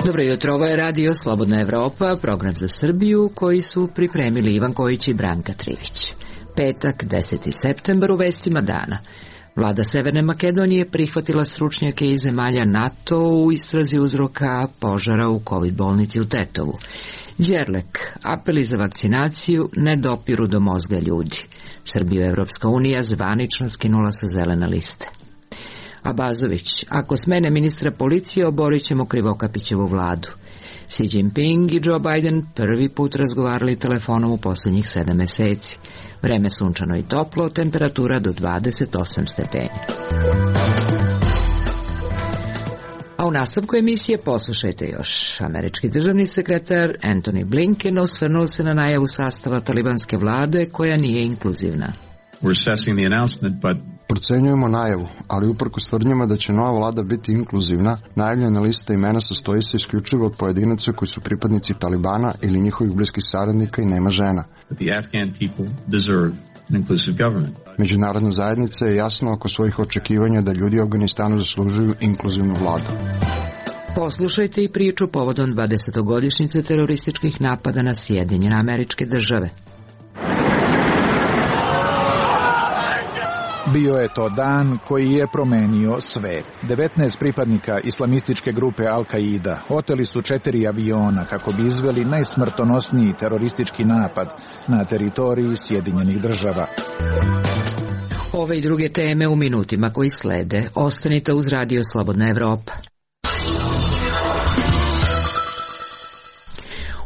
Dobro jutro, ovo je Radio Slobodna Evropa, program za Srbiju koji su pripremili Ivan Kojić i Branka Trivić. Petak, 10. septembar, u vestima dana. Vlada Severne Makedonije prihvatila stručnjake iz zemalja NATO u istrazi uzroka požara u COVID bolnici u Tetovu. Đerlek, apeli za vakcinaciju ne dopiru do mozga ljudi. Srbiju Evropska unija zvanično skinula sa zelene liste. Abazović, ako smene ministra policije, oborit ćemo Krivokapićevu vladu. Xi Jinping i Joe Biden prvi put razgovarali telefonom u posljednjih 7 meseci. Vreme sunčano i toplo, temperatura do 28 stepeni. A u nastavku emisije poslušajte još. Američki državni sekretar Antony Blinken osvrnuo se na najavu sastava talibanske vlade koja nije inkluzivna. Procenjujemo najavu, ali uprkos tvrdnjama da će nova vlada biti inkluzivna, najavljena lista imena sastoji se isključivo od pojedinaca koji su pripadnici Talibana ili njihovih bliskih saradnika i nema žena. Međunarodna zajednica je jasna oko svojih očekivanja da ljudi u Afganistanu zaslužuju inkluzivnu vladu. Poslušajte i priču povodom 20-godišnjice terorističkih napada na Sjedinjene Američke Države. Bio je to dan koji je promenio svet. 19 pripadnika islamističke grupe Al-Qaida oteli su 4 aviona kako bi izveli najsmrtonosniji teroristički napad na teritoriji Sjedinjenih Država. Ove i druge teme u minutima koji slede. Ostanite uz Radio Slobodna Evropa.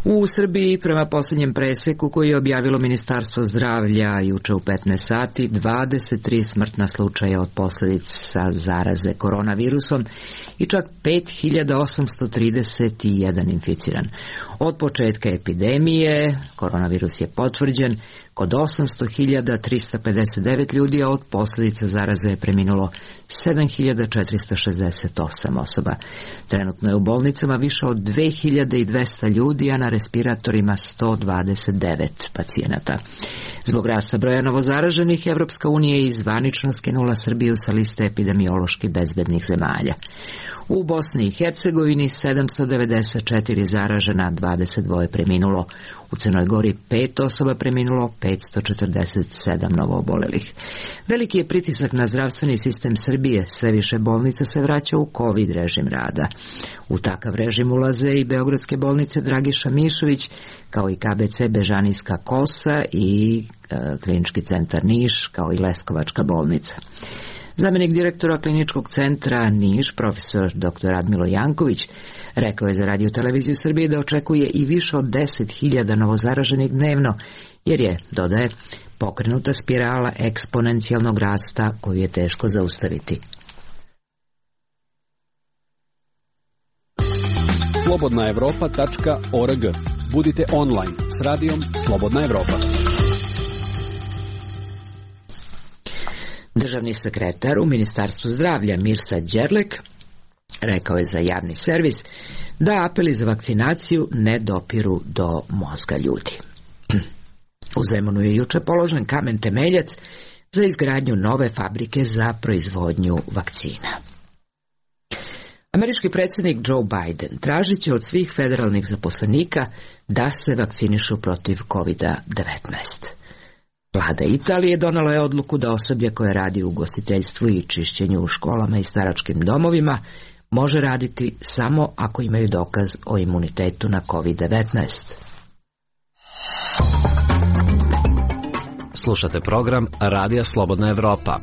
U Srbiji, prema posljednjem preseku koji je objavilo Ministarstvo zdravlja juče u 15 sati, 23 smrtna slučaja od posljedica zaraze koronavirusom i čak 5831 inficiran. Od početka epidemije koronavirus je potvrđen kod 800.359 ljudi, a od posljedica zaraze je preminulo 7.468 osoba. Trenutno je u bolnicama više od 2.200 ljudi, a na respiratorima 129 pacijenata. Zbog rasta broja novozaraženih, Evropska unija je zvanično skinula Srbiju sa liste epidemiološki bezbednih zemalja. U Bosni i Hercegovini 794 zaražena, 22 preminulo. U Crnoj Gori 5 osoba preminulo, 547 novoobolelih. Veliki je pritisak na zdravstveni sistem Srbije, sve više bolnica se vraća u COVID režim rada. U takav režim ulaze i beogradske bolnice Dragiša Mišović, kao i KBC Bežanijska Kosa i Klinički centar Niš, kao i Leskovačka bolnica. Zamenik direktora Kliničkog centra Niš, profesor dr. Radmilo Janković, rekao je za Radio televiziju Srbije da očekuje i više od 10.000 novozaraženih dnevno, jer je, dodaje, pokrenuta spirala eksponencijalnog rasta koju je teško zaustaviti. slobodnaevropa.org. Budite online s radijom Slobodna Evropa. Državni sekretar u Ministarstvu zdravlja Mirsad Đerlek rekao je za javni servis da apeli za vakcinaciju ne dopiru do mozga ljudi. U Zemunu je juče položen kamen temeljac za izgradnju nove fabrike za proizvodnju vakcina. Američki predsjednik Joe Biden tražit će od svih federalnih zaposlenika da se vakcinišu protiv COVID-19. Vlada Italije donala je odluku da osoblje koje radi u ugostiteljstvu i čišćenju u školama i staračkim domovima može raditi samo ako imaju dokaz o imunitetu na COVID-19. Slušate program Radija Slobodna Evropa.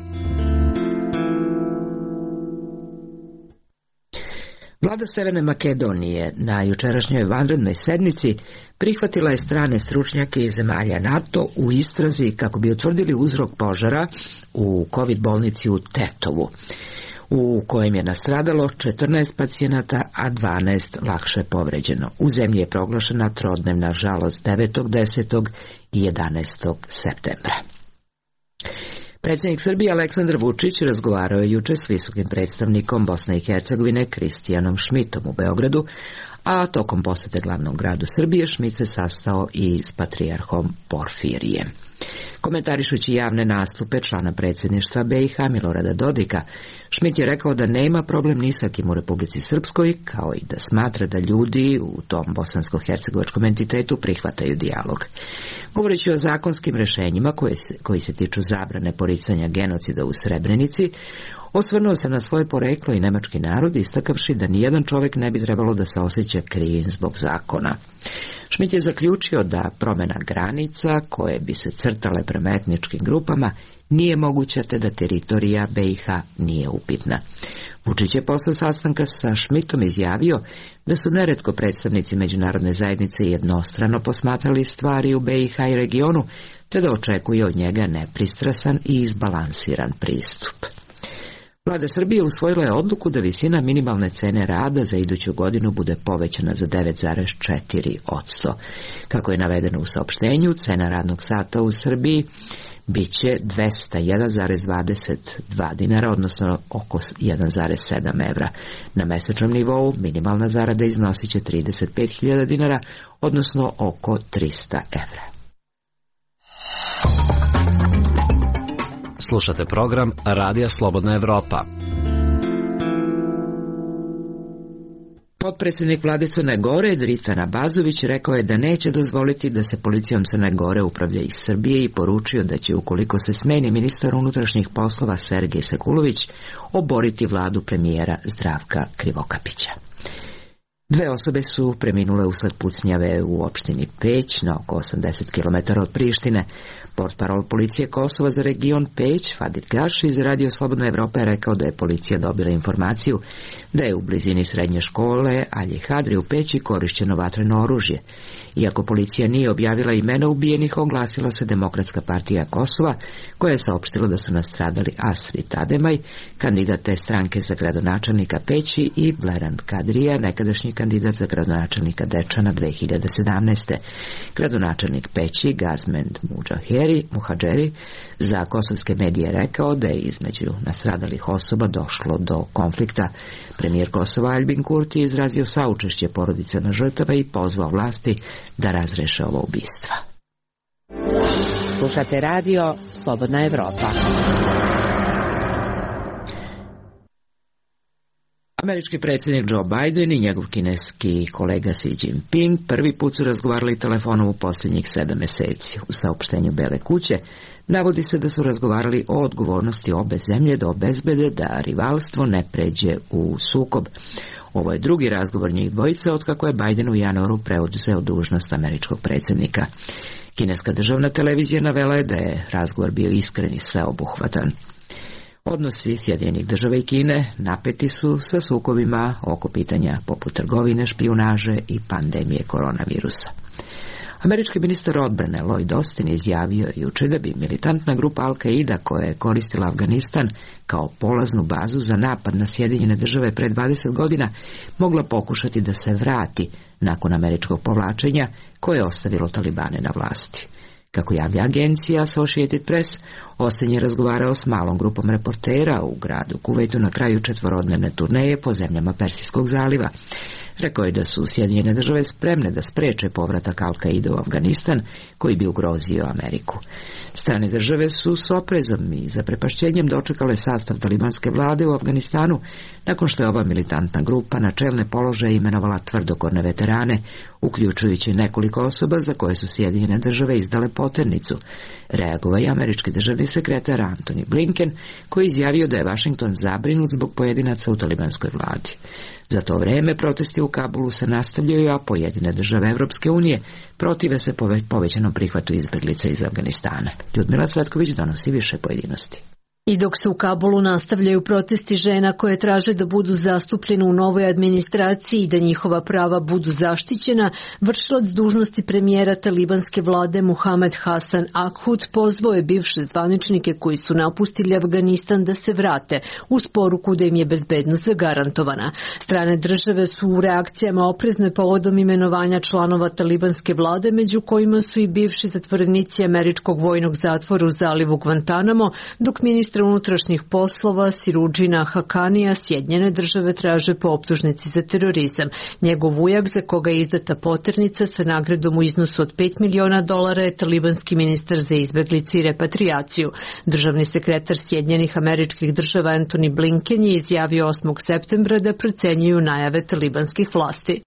Vlada Severne Makedonije na jučerašnjoj vanrednoj sednici prihvatila je strane stručnjake iz zemalja NATO u istrazi kako bi utvrdili uzrok požara u COVID bolnici u Tetovu, u kojem je nastradalo 14 pacijenata, a 12 lakše povređeno. U zemlji je proglašena trodnevna žalost 9., 10. i 11. septembra. Predsjednik Srbije Aleksandar Vučić razgovarao je juče s visokim predstavnikom Bosne i Hercegovine Kristijanom Šmitom u Beogradu, a tokom posete glavnom gradu Srbije Šmit se sastao i s patrijarhom Porfirijem. Komentarišući javne nastupe člana predsjedništva BiH Milorada Dodika, Šmit je rekao da nema problem ni sa kim u Republici Srpskoj, kao i da smatra da ljudi u tom bosansko-hercegovačkom entitetu prihvataju dijalog. Govoreći o zakonskim rešenjima koji se tiču zabrane poricanja genocida u Srebrenici, osvrnuo se na svoje poreklo i nemački narod, istakavši da nijedan čovjek ne bi trebalo da se osjeća krivim zbog zakona. Šmit je zaključio da promjena granica koje bi se crtale prema etničkim grupama nije moguća, te da teritorija BiH nije upitna. Vučić je posle sastanka sa Šmitom izjavio da su neretko predstavnici međunarodne zajednice jednostrano posmatrali stvari u BiH i regionu, te da očekuje od njega nepristrasan i izbalansiran pristup. Vlada Srbije usvojila je odluku da visina minimalne cene rada za iduću godinu bude povećana za 9,4%. Kako je navedeno u saopštenju, cena radnog sata u Srbiji biće 201,22 dinara, odnosno oko 1,7 evra. Na mesečnom nivou minimalna zarada iznosit će 35.000 dinara, odnosno oko 300 evra. Slušate program Radija Slobodna Evropa. Potpredsjednik vlade Crne Gore Dritan Abazović rekao je da neće dozvoliti da se policijom Crne Gore upravlja iz Srbije i poručio da će, ukoliko se smeni ministar unutrašnjih poslova Sergej Sekulović, oboriti vladu premijera Zdravka Krivokapića. 2 osobe su preminule usled pucnjave u opštini Peć, na oko 80 km od Prištine. Portparol policije Kosova za region Peć, Fadil Gaš, iz Radio Slobodna Evropa je rekao da je policija dobila informaciju da je u blizini srednje škole Alji Hadri u Peći korišćeno vatreno oružje. Iako policija nije objavila imena ubijenih, oglasila se Demokratska partija Kosova, koja je saopštila da su nastradali Asrit Ademaj, kandidat te stranke za gradonačelnika Peći, i Bleran Kadrija, nekadašnji kandidat za gradonačelnika Dečana 2017. Gradonačelnik Peći Gazmend Muhadžeri za kosovske medije rekao da je između nastradalih osoba došlo do konflikta. Premijer Kosova Aljbin Kurti je izrazio saučešće porodicama žrtava i pozvao vlasti da razreše ovo ubistva. Slušate radio Slobodna Evropa. Američki predsjednik Joe Biden i njegov kineski kolega Xi Jinping prvi put su razgovarali telefonom u posljednjih 7 mjeseci. U saopštenju Bele kuće navodi se da su razgovarali o odgovornosti obe zemlje da obezbede da rivalstvo ne pređe u sukob. Ovo je drugi razgovor njih dvojice otkako je Biden u januaru preuzeo dužnost američkog predsjednika. Kineska državna televizija navela je da je razgovor bio iskren i sveobuhvatan. Odnosi Sjedinjenih država i Kine napeti su sa sukobima oko pitanja poput trgovine, špijunaže i pandemije koronavirusa. Američki ministar odbrane Lloyd Austin izjavio jučer da bi militantna grupa Al-Qaida, koja je koristila Afganistan kao polaznu bazu za napad na Sjedinjene države pred 20 godina, mogla pokušati da se vrati nakon američkog povlačenja koje je ostavilo Talibane na vlasti. Kako javlja agencija Associated Press, Austin je razgovarao s malom grupom reportera u gradu Kuvajtu na kraju 4-dnevne turneje po zemljama Persijskog zaliva. Rekao je da su Sjedinjene države spremne da spreče povratak Al-Qaida u Afganistan, koji bi ugrozio Ameriku. Strane države su s oprezom i zaprepašćenjem dočekale sastav talibanske vlade u Afganistanu, nakon što je ova militantna grupa na čelne položaje imenovala tvrdokorne veterane, uključujući nekoliko osoba za koje su Sjedinjene države izdale poternicu. Reagovao je američki državni sekretar Antony Blinken, koji je izjavio da je Washington zabrinut zbog pojedinaca u talibanskoj vladi. Za to vrijeme protesti u Kabulu se nastavljaju, a pojedine države Evropske unije protive se povećanom prihvatu izbjeglica iz Afganistana. Ljudmila Cvetković donosi više pojedinosti. I dok se u Kabulu nastavljaju protesti žena koje traže da budu zastupljene u novoj administraciji i da njihova prava budu zaštićena, vršilac dužnosti premijera talibanske vlade Muhamed Hasan Akhud pozvao je bivše zvaničnike koji su napustili Afganistan da se vrate, uz poruku da im je bezbednost zagarantovana. Strane države su u reakcijama oprezne povodom imenovanja članova talibanske vlade, među kojima su i bivši zatvorenici američkog vojnog zatvora u zalivu Guantanamo, dok ministar ministra unutrašnjih poslova Sirudžina Hakanija Sjedinjene države traže po optužnici za terorizam. Njegov ujak, za koga je izdata poternica sa nagradom u iznosu od $5 miliona, je talibanski ministar za izbeglice i repatriaciju. Državni sekretar Sjedinjenih Američkih Država Antony Blinken je izjavio 8. septembra da procenjuju najave talibanskih vlasti.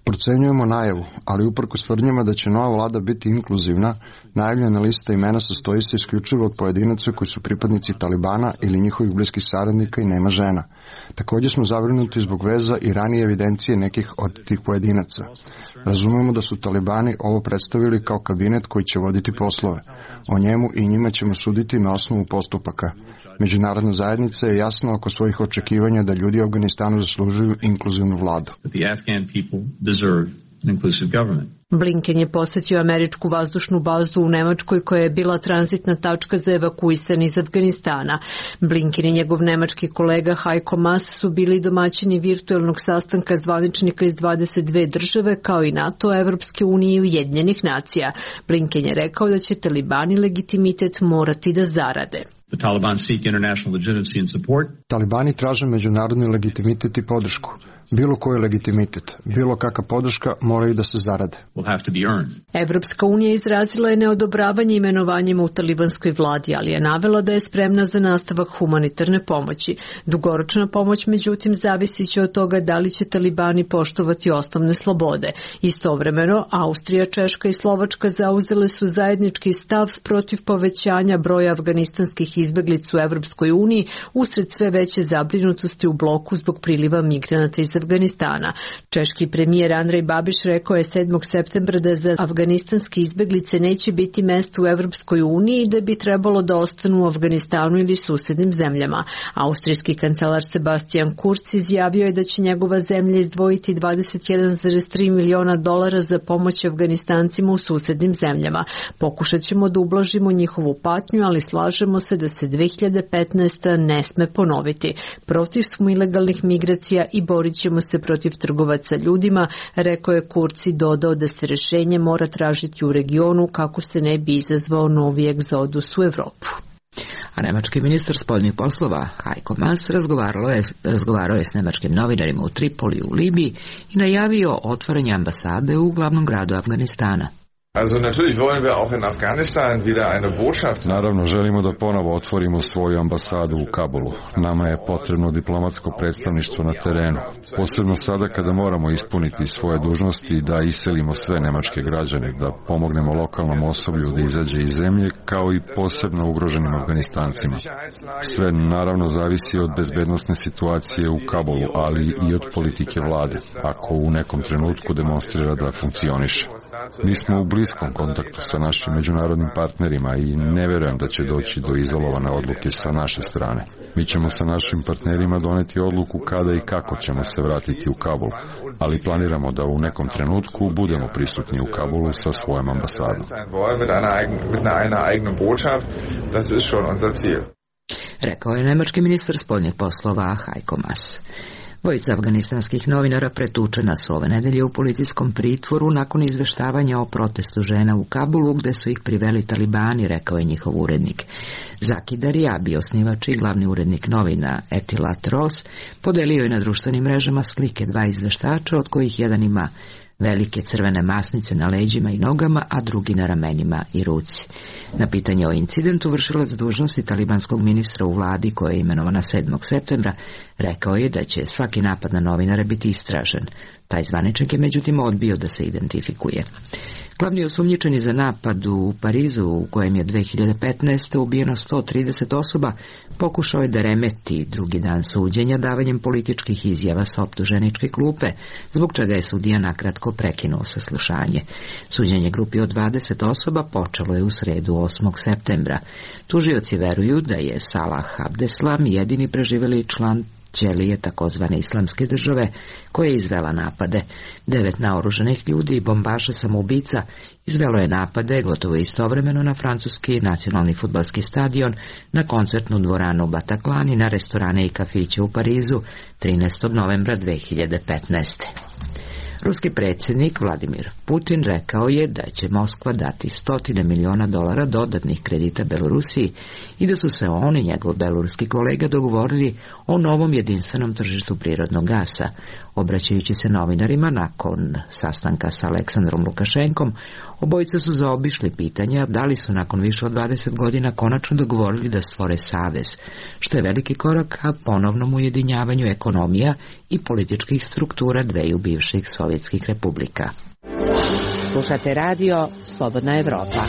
Procenjujemo najavu, ali uprkos tvrdnjama da će nova vlada biti inkluzivna, najavljena lista imena sastoji se isključivo od pojedinaca koji su pripadnici Talibana ili njihovih bliskih saradnika i nema žena. Također smo zabrinuti zbog veza i ranije evidencije nekih od tih pojedinaca. Razumemo da su Talibani ovo predstavili kao kabinet koji će voditi poslove. O njemu i njima ćemo suditi na osnovu postupaka. Međunarodna zajednica je jasna oko svojih očekivanja da ljudi u Afganistanu zaslužuju inkluzivnu vladu. Blinken je posetio američku vazdušnu bazu u Nemačkoj koja je bila tranzitna tačka za evakuisane iz Afganistana. Blinken i njegov nemački kolega Heiko Maas su bili domaćini virtuelnog sastanka zvaničnika iz 22 države kao i NATO, Evropske unije i Ujedinjenih nacija. Blinken je rekao da će Talibani legitimitet morati da zarade. Talibani traže međunarodni legitimitet i podršku. Bilo koji legitimitet, bilo kakva podrška moraju da se zarade. Evropska unija izrazila je neodobravanje imenovanjima u talibanskoj vladi, ali je navela da je spremna za nastavak humanitarne pomoći. Dugoročna pomoć, međutim, zavisit će od toga da li će Talibani poštovati osnovne slobode. Istovremeno, Austrija, Češka i Slovačka zauzele su zajednički stav protiv povećanja broja afganistanskih izbeglica u Evropskoj uniji usred sve veće zabrinutosti u bloku zbog priliva migranata iz Afganistana. Češki premijer Andrej Babiš rekao je 7. septembra da za afganistanske izbeglice neće biti mesta u Evropskoj uniji i da bi trebalo da ostanu u Afganistanu ili susednim zemljama. Austrijski kancelar Sebastian Kurz izjavio je da će njegova zemlja izdvojiti $21,3 miliona za pomoć Afganistancima u susednim zemljama. Pokušat ćemo da ublažimo njihovu patnju, ali slažemo se da se 2015. ne sme ponoviti. Protiv smo ilegalnih migracija i borit ćemo se protiv trgovaca ljudima, rekao je Kurz i dodao da se rešenje mora tražiti u regionu kako se ne bi izazvao novi egzodus u Evropu. A nemački ministar spoljnih poslova Heiko Maas razgovarao je s nemačkim novinarima u Tripoli u Libiji i najavio otvaranje ambasade u glavnom gradu Afganistana. Naravno, želimo da ponovo otvorimo svoju ambasadu u Kabulu. Nama je potrebno diplomatsko predstavništvo na terenu. Posebno sada kada moramo ispuniti svoje dužnosti i da iselimo sve nemačke građane, da pomognemo lokalnom osoblju da izađe iz zemlje, kao i posebno ugroženim Afganistancima. Sve naravno zavisi od bezbednosne situacije u Kabulu, ali i od politike vlade, ako u nekom trenutku demonstrira da funkcioniše. Mi smo u bliskom kontaktu sa našim međunarodnim partnerima i ne verujem da će doći do izolovane odluke sa naše strane. Mi ćemo sa našim partnerima doneti odluku kada i kako ćemo se vratiti u Kabul, ali planiramo da u nekom trenutku budemo prisutni u Kabulu sa svojom ambasadom. Rekao je nemački ministar spoljnih poslova Heiko Maas. Dvojica afganistanskih novinara pretučena su ove nedelje u policijskom pritvoru nakon izveštavanja o protestu žena u Kabulu gde su ih priveli Talibani, rekao je njihov urednik. Zaki Darjabi, osnivač i glavni urednik novina Etilat Ros, podelio je na društvenim mrežama slike dva izveštača, od kojih jedan ima velike crvene masnice na leđima i nogama, a drugi na ramenima i ruci. Na pitanje o incidentu vršilac dužnosti talibanskog ministra u vladi, koja je imenovana 7. septembra, rekao je da će svaki napad na novinare biti istražen. Taj zvaničnik je međutim odbio da se identifikuje. Glavni osumnjičeni za napad u Parizu, u kojem je 2015. ubijeno 130 osoba, pokušao je da remeti drugi dan suđenja davanjem političkih izjava sa optuženičke klupe, zbog čega je sudija nakratko prekinuo saslušanje. Suđenje grupi od 20 osoba počelo je u sredu 8. septembra. Tužioci veruju da je Salah Abdeslam jedini preživeli član ćelije takozvane islamske države koja je izvela napade. 9 naoružanih ljudi i bombaša samoubica izvelo je napade gotovo istovremeno na francuski nacionalni fudbalski stadion, na koncertnu dvoranu u Bataklani, na restorane i kafiće u Parizu 13. novembra 2015. Ruski predsjednik Vladimir Putin rekao je da će Moskva dati $100 miliona dodatnih kredita Belorusiji i da su se on i njegov beloruski kolega dogovorili o novom jedinstvenom tržištu prirodnog gasa. Obraćajući se novinarima nakon sastanka sa Aleksandrom Lukašenkom, obojica su zaobišli pitanja da li su nakon više od 20 godina konačno dogovorili da stvore savez, što je veliki korak ka ponovnom ujedinjavanju ekonomija i političkih struktura dveju bivših sovjetskih republika. Slušate radio Slobodna Evropa.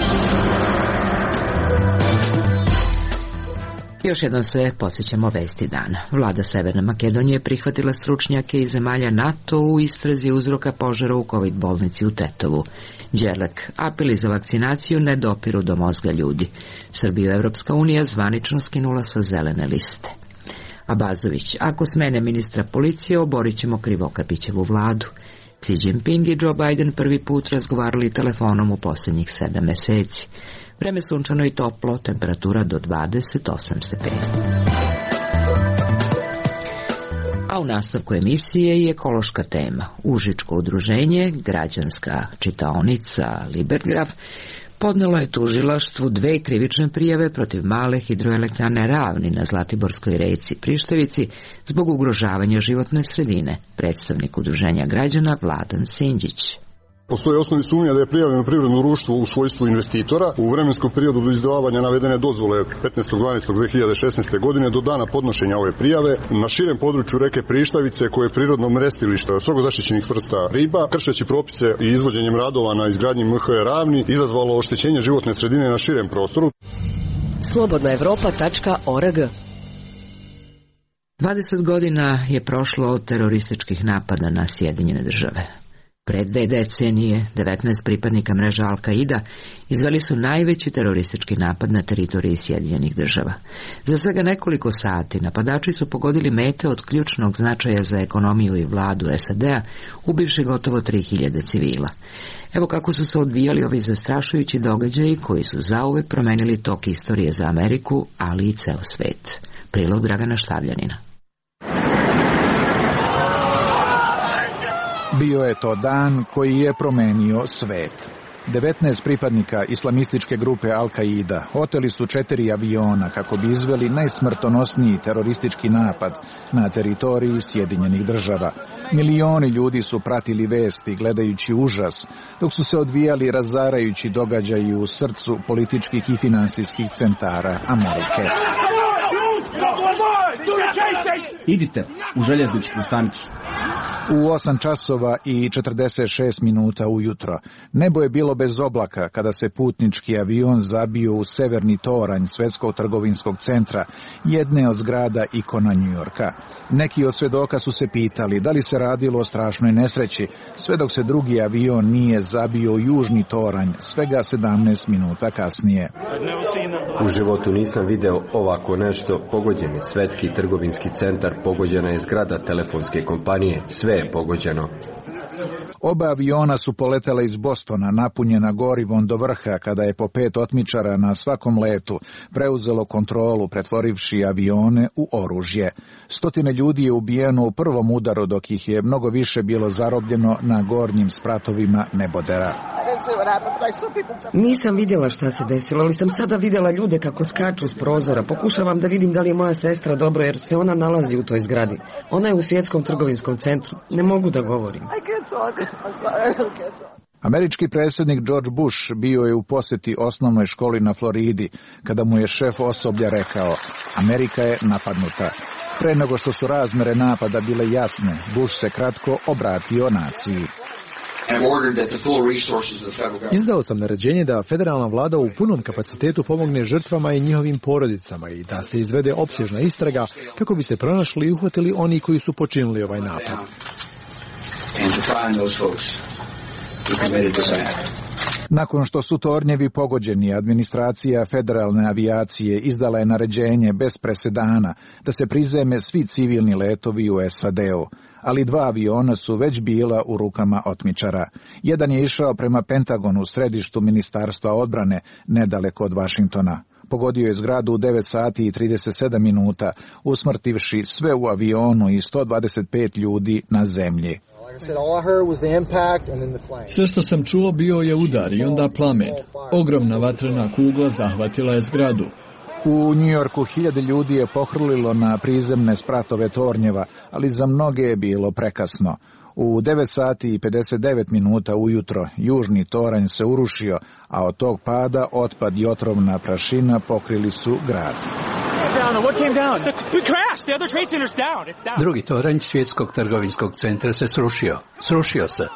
Još jednom se podsjećamo vesti dana. Vlada Severne Makedonije prihvatila stručnjake iz zemalja NATO u istrazi uzroka požara u COVID bolnici u Tetovu. Đerlek, apeli za vakcinaciju ne dopiru do mozga ljudi. Srbiju Evropska unija zvanično skinula sa zelene liste. Abazović, ako smene ministra policije, oborit ćemo Krivokapićevu vladu. Xi Jinping i Joe Biden prvi put razgovarali telefonom u posljednjih 7 meseci. Vreme sunčano i toplo, temperatura do 28 stepeni. A u nastavku emisije i ekološka tema. Užičko udruženje, građanska čitaonica Libergraf, podnelo je tužilaštvu 2 krivične prijave protiv male hidroelektrane Ravni na Zlatiborskoj reci Prištevici zbog ugrožavanja životne sredine. Predstavnik udruženja građana Vladan Sinđić. Postoje osnovni sumnja da je prijavljeno privredno društvo u svojstvu investitora u vremenskom periodu do izdavanja navedene dozvole 15.12.2016. godine do dana podnošenja ove prijave na širem području reke Prištavice, koje je prirodno mrestilište strogo zaštićenih vrsta riba, kršeći propise i izvođenjem radova na izgradnji MHE Ravni, izazvalo oštećenje životne sredine na širem prostoru. slobodnaevropa.org 20 godina je prošlo od terorističkih napada na Sjedinjene države. Pred 2 decenije 19 pripadnika mreža Al-Kaida izveli su najveći teroristički napad na teritoriji Sjedinjenih država. Za svega nekoliko sati napadači su pogodili mete od ključnog značaja za ekonomiju i vladu SAD-a, ubivši gotovo 3000 civila. Evo kako su se odvijali ovi zastrašujući događaji koji su zauvek promenili tok istorije za Ameriku, ali i ceo svet. Prilog Dragana Štavljanina. Bio je to dan koji je promenio svet. 19 pripadnika islamističke grupe Al-Kaida oteli su 4 aviona kako bi izveli najsmrtonosniji teroristički napad na teritoriji Sjedinjenih država. Milioni ljudi su pratili vesti gledajući užas, dok su se odvijali razarajući događaji u srcu političkih i finansijskih centara Amerike. Idite u željezničku stanicu. U 8 časova i 46 minuta ujutro nebo je bilo bez oblaka kada se putnički avion zabio u severni toranj Svetskog trgovinskog centra, jedne od zgrada ikona Njujorka. Neki od svedoka su se pitali da li se radilo o strašnoj nesreći, sve dok se drugi avion nije zabio u južni toranj svega 17 minuta kasnije. U životu nisam video ovako nešto. Pogođen je Svetski trgovinski centar, pogođena je zgrada telefonske kompanije, sve je pogođeno. Oba aviona su poletela iz Bostona, napunjena gorivom do vrha, kada je po 5 otmičara na svakom letu preuzelo kontrolu, pretvorivši avione u oružje. 100 ljudi je ubijeno u prvom udaru, dok ih je mnogo više bilo zarobljeno na gornjim spratovima nebodera. Nisam vidjela šta se desilo, ali sam sada vidjela ljude kako skaču s prozora. Pokušavam da vidim da li je moja sestra dobro, jer se ona nalazi u toj zgradi. Ona je u Svjetskom trgovinskom centru. Ne mogu da govorim. Američki predsjednik George Bush bio je u posjeti osnovnoj školi na Floridi, kada mu je šef osoblja rekao: Amerika je napadnuta. Pre nego što su razmere napada bile jasne, Bush se kratko obratio naciji. Izdao sam naređenje da federalna vlada u punom kapacitetu pomogne žrtvama i njihovim porodicama i da se izvede opsežna istraga kako bi se pronašli i uhvatili oni koji su počinili ovaj napad. Nakon što su tornjevi pogođeni, administracija federalne avijacije izdala je naređenje bez presedana da se prizeme svi civilni letovi u SAD-u, ali 2 aviona su već bila u rukama otmičara. Jedan je išao prema Pentagonu, središtu Ministarstva odbrane, nedaleko od Vašingtona. Pogodio je zgradu u 9 sati i 37 minuta, usmrtivši sve u avionu i 125 ljudi na zemlji. Sve što sam čuo bio je udar i onda plamen. Ogromna vatrena kugla zahvatila je zgradu. U Njujorku 1000 ljudi je pohrlilo na prizemne spratove tornjeva, ali za mnoge je bilo prekasno. U 9 sati i 59 minuta ujutro južni toranj se urušio, a od tog pada otpad i otrovna prašina pokrili su grad. Drugi toranj svjetskog trgovinskog centra se srušio. Srušio se.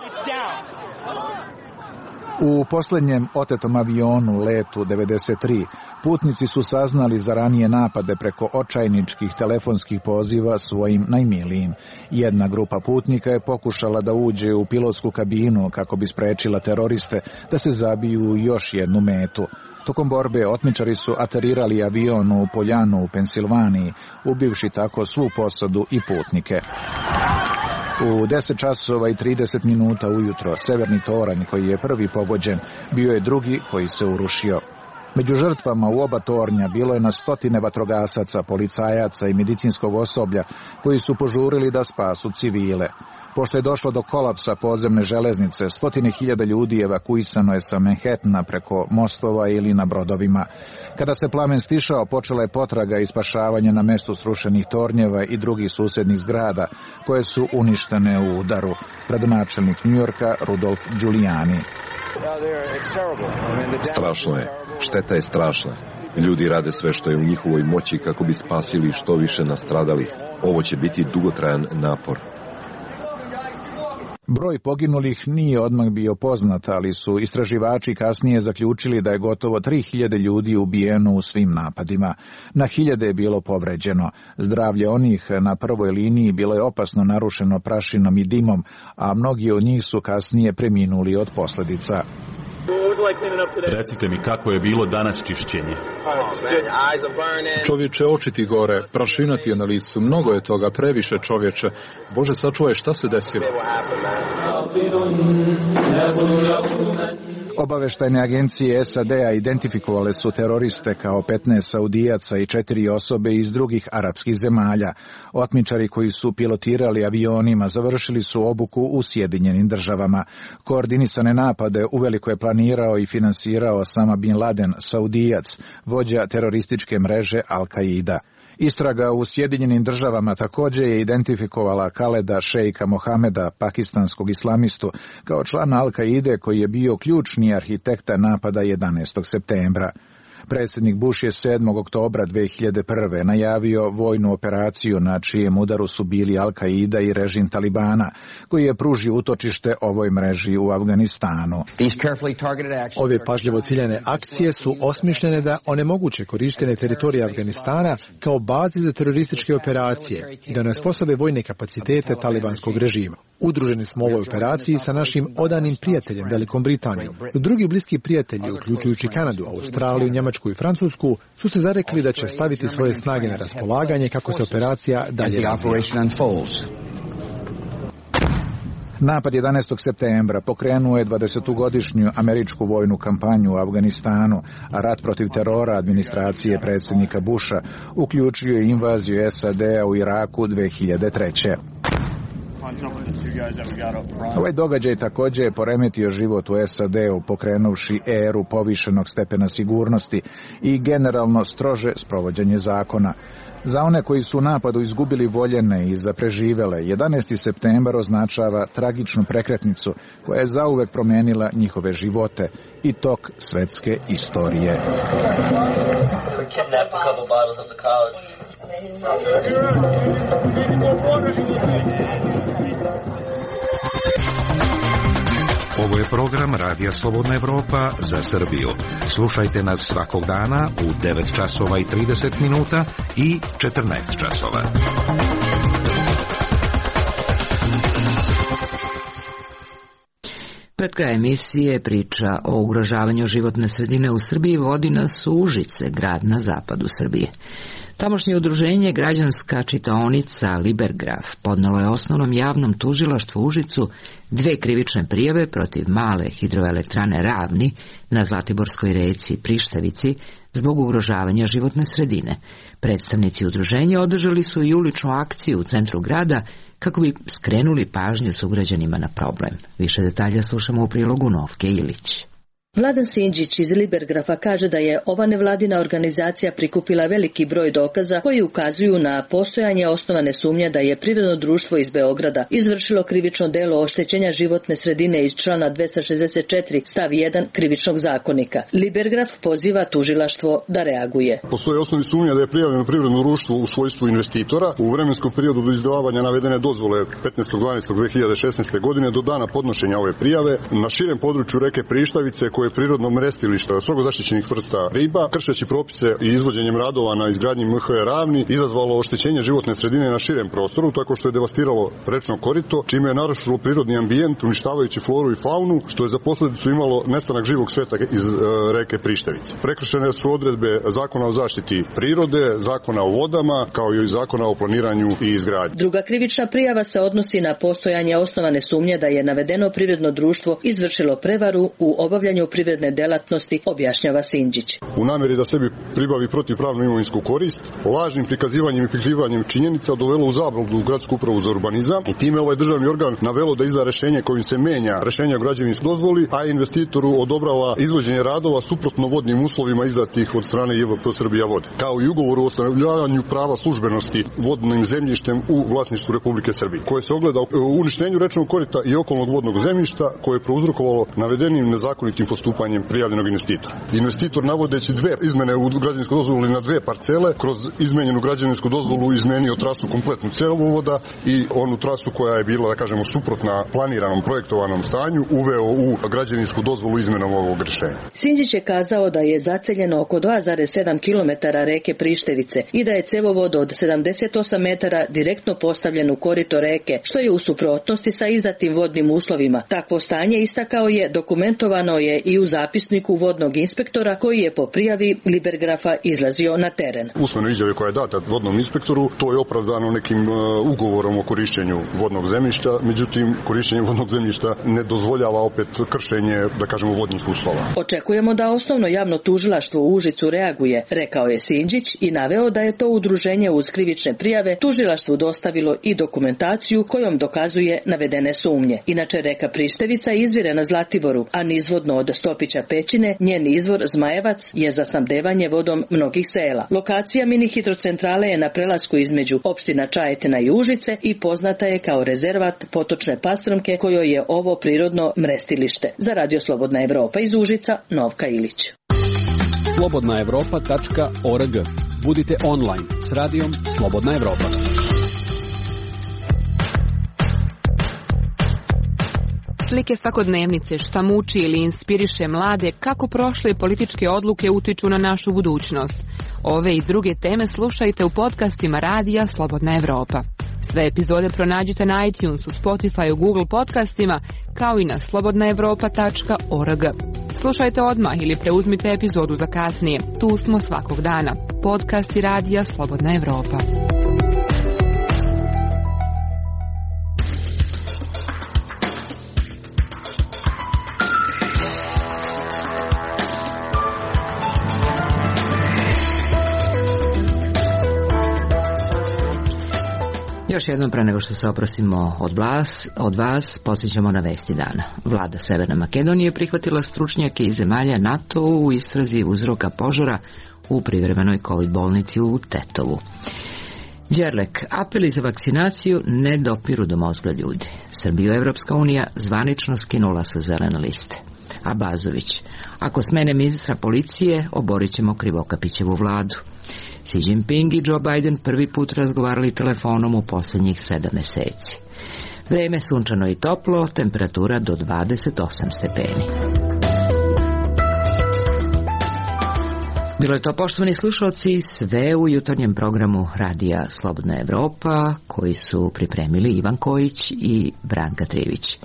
U posljednjem otetom avionu letu 93 putnici su saznali za ranije napade preko očajničkih telefonskih poziva svojim najmilijim. Jedna grupa putnika je pokušala da uđe u pilotsku kabinu kako bi sprečila teroriste da se zabiju u još jednu metu. Tokom borbe otmičari su aterirali avion u Poljanu u Pensilvaniji, ubivši tako svu posadu i putnike. U 10 časova i 30 minuta ujutro severni toranj koji je prvi pogođen bio je drugi koji se urušio. Među žrtvama u oba tornja bilo je na stotine vatrogasaca, policajaca i medicinskog osoblja koji su požurili da spasu civile. Pošto je došlo do kolapsa podzemne železnice, 100.000 ljudi evakuisano je sa Manhattana preko mostova ili na brodovima. Kada se plamen stišao, počela je potraga i spašavanje na mestu srušenih tornjeva i drugih susednih zgrada, koje su uništene u udaru. Gradonačelnik Njujorka Rudolf Giuliani. Strašno je. Šteta je strašna. Ljudi rade sve što je u njihovoj moći kako bi spasili što više nastradalih. Ovo će biti dugotrajan napor. Broj poginulih nije odmah bio poznat, ali su istraživači kasnije zaključili da je gotovo 3.000 ljudi ubijeno u svim napadima. Na 1000 je bilo povređeno. Zdravlje onih na prvoj liniji bilo je opasno narušeno prašinom i dimom, a mnogi od njih su kasnije preminuli od posljedica. Recite mi kako je bilo danas čišćenje. Čovječe, oči ti gore, prašina ti je na licu, mnogo je toga, previše čovječe. Bože, sačuvaj, šta se desilo? Obaveštajne agencije SAD-a identifikovale su teroriste kao 15 Saudijaca i 4 osobe iz drugih arapskih zemalja. Otmičari koji su pilotirali avionima završili su obuku u Sjedinjenim Državama. Koordinisane napade uveliko je planirao i finansirao Osama bin Laden, Saudijac, vođa terorističke mreže Al-Qaida. Istraga u Sjedinjenim Državama također je identifikovala Khaleda Sheikha Mohameda, pakistanskog islamistu, kao člana Al-Qaide koji je bio ključni arhitekta napada 11. septembra. Predsjednik Bush je 7. oktobra 2001. najavio vojnu operaciju na čijem udaru su bili Al-Qaida i režim Talibana, koji je pružio utočište ovoj mreži u Afganistanu. Ove pažljivo ciljane akcije su osmišljene da onemoguće korištenje teritorija Afganistana kao bazi za terorističke operacije i da nesposobe vojne kapacitete talibanskog režima. Udruženi smo u ovoj operaciji sa našim odanim prijateljem Velikom Britanijom. Drugi bliski prijatelji, uključujući Kanadu, Australiju, Njemačku i Francusku, su se zarekli da će staviti svoje snage na raspolaganje kako se operacija dalje razvija. Napad 11. septembra pokrenuo je 20-godišnju američku vojnu kampanju u Afganistanu, a rat protiv terora administracije predsjednika Busha uključio je invaziju SAD-a u Iraku 2003. Ovaj događaj također je poremetio život u SAD-u, pokrenuvši eru povišenog stepena sigurnosti i generalno strože sprovođenje zakona. Za one koji su u napadu izgubili voljene i za preživele, 11. septembar označava tragičnu prekretnicu koja je zauvek promenila njihove živote i tok svetske istorije. Ovo je program Radija Slobodna Evropa za Srbiju. Slušajte nas svakog dana u 9 časova i 30 minuta i 14 časova. Pred kraj emisije priča o ugrožavanju životne sredine u Srbiji vodi nas u Užice, grad na zapadu Srbije. Tamošnje udruženje Građanska čitaonica Libergraf podnelo je osnovnom javnom tužilaštvu u Užicu 2 krivične prijave protiv male hidroelektrane Ravni na Zlatiborskoj reci Prištevici zbog ugrožavanja životne sredine. Predstavnici udruženja održali su i uličnu akciju u centru grada kako bi skrenuli pažnju sugrađanima na problem. Više detalja slušamo u prilogu Novke Ilić. Vladan Sinđić iz Libergrafa kaže da je ova nevladina organizacija prikupila veliki broj dokaza koji ukazuju na postojanje osnovane sumnje da je privredno društvo iz Beograda izvršilo krivično delo oštećenja životne sredine iz člana 264 stav 1 krivičnog zakonika. Libergraf poziva tužilaštvo da reaguje. Postoje osnovni sumnja da je prijavljeno privredno društvo u svojstvu investitora u vremenskom periodu do izdavanja navedene dozvole 15.12.2016. godine do dana podnošenja ove prijave na širem području reke Prištavice koje je prirodno mrestilište strogo zaštićenih vrsta riba, kršeći propise i izvođenjem radova na izgradnji MHE Ravni, izazvalo oštećenje životne sredine na širem prostoru, tako što je devastiralo rečno korito, čime je narušilo prirodni ambijent, uništavajući floru i faunu, što je za posljedicu imalo nestanak živog sveta iz reke Prištavice. Prekršene su odredbe Zakona o zaštiti prirode, Zakona o vodama, kao i Zakona o planiranju i izgradnji. Druga krivična prijava se odnosi na postojanje osnovane sumnje da je navedeno privredno društvo izvršilo prevaru u obavljanju privredne delatnosti, objašnjava Sinđić. U namjeri da sebi pribavi protivpravnu imovinsku korist, lažnim prikazivanjem i prikrivanjem činjenica dovelo u zabludu gradsku upravu za urbanizam i time ovaj državni organ navelo da izda rešenje kojim se menja rešenje o građevinskoj dozvoli, a investitoru odobrava izvođenje radova suprotno vodnim uslovima izdatih od strane JVP Srbija vode, kao i ugovoru o ustanovljavanju prava službenosti vodnim zemljištem u vlasništvu Republike Srbije, koje se ogleda u uništenju rečnog korita i okolnog vodnog zemljišta koje je prouzrokovalo navedenim nezakonitim postupanjem prijavljenog investitora. Investitor, navodeći dve izmene u građevinskoj dozvoli na dve parcele, kroz izmenjenu građevinsku dozvolu izmenio trasu kompletnu cevovoda i onu trasu koja je bila, da kažemo, suprotna planiranom projektovanom stanju, uveo u građevinsku dozvolu izmenom ovog rešenja. Sinđić je kazao da je zaceljeno oko 2,7 km reke Prištevice i da je cevovod od 78 metara direktno postavljen u korito reke, što je u suprotnosti sa izdatim vodnim uslovima. Takvo stanje, istakao je, dokumentovano je i u zapisniku vodnog inspektora koji je po prijavi Libergrafa izlazio na teren. Usmeno izjave koja je data vodnom inspektoru, to je opravdano nekim ugovorom o korišćenju vodnog zemljišta, međutim korišćenje vodnog zemljišta ne dozvoljava opet kršenje, da kažemo, vodnih uslova. Očekujemo da osnovno javno tužilaštvo u Užicu reaguje, rekao je Sinđić i naveo da je to udruženje uz krivične prijave tužilaštvu dostavilo i dokumentaciju kojom dokazuje navedene sumnje. Inače, reka Prištevica izvire na Zlatiboru, a nizvodno od Stopića Pećine, njen izvor Zmajevac je za snabdevanje vodom mnogih sela. Lokacija mini hidrocentrale je na prelasku između opština Čajetina i Užice i poznata je kao rezervat potočne Pastrumke kojoj je ovo prirodno mrestilište. Za Radio Slobodna Evropa iz Užica, Novka Ilić. slobodnaevropa.org. Budite online s radijom Slobodna Evropa. Slike svakodnevnice, šta muči ili inspiriše mlade, kako prošle političke odluke utiču na našu budućnost. Ove i druge teme slušajte u podcastima Radija Slobodna Evropa. Sve epizode pronađite na iTunesu, Spotifyu, Google podcastima, kao i na slobodnaevropa.org. Slušajte odmah ili preuzmite epizodu za kasnije. Tu smo svakog dana. Podcasti Radija Slobodna Evropa. Još jednom, pre nego što se oprostimo od vas, podsjećamo na vesti dana. Vlada Severne Makedonije prihvatila stručnjake iz zemalja NATO u istrazi uzroka požara u privremenoj COVID bolnici u Tetovu. Đerlek, apeli za vakcinaciju ne dopiru do mozga ljudi. Srbiju Evropska unija zvanično skinula sa zelene liste. A Bazović, ako smene ministra policije, oborit ćemo Krivokapićevu vladu. Xi Jinping i Joe Biden prvi put razgovarali telefonom u posljednjih 7 meseci. Vreme sunčano i toplo, temperatura do 28 stepeni. Bilo je to, poštovani slušalci, sve u jutarnjem programu Radija Slobodna Evropa, koji su pripremili Ivan Kojić i Branka Trivić.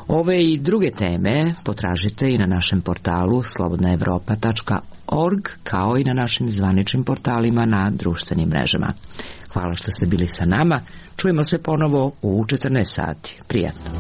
Ove i druge teme potražite i na našem portalu slobodnaevropa.org, kao i na našim zvaničnim portalima na društvenim mrežama. Hvala što ste bili sa nama. Čujemo se ponovo u 14 sati. Prijatno.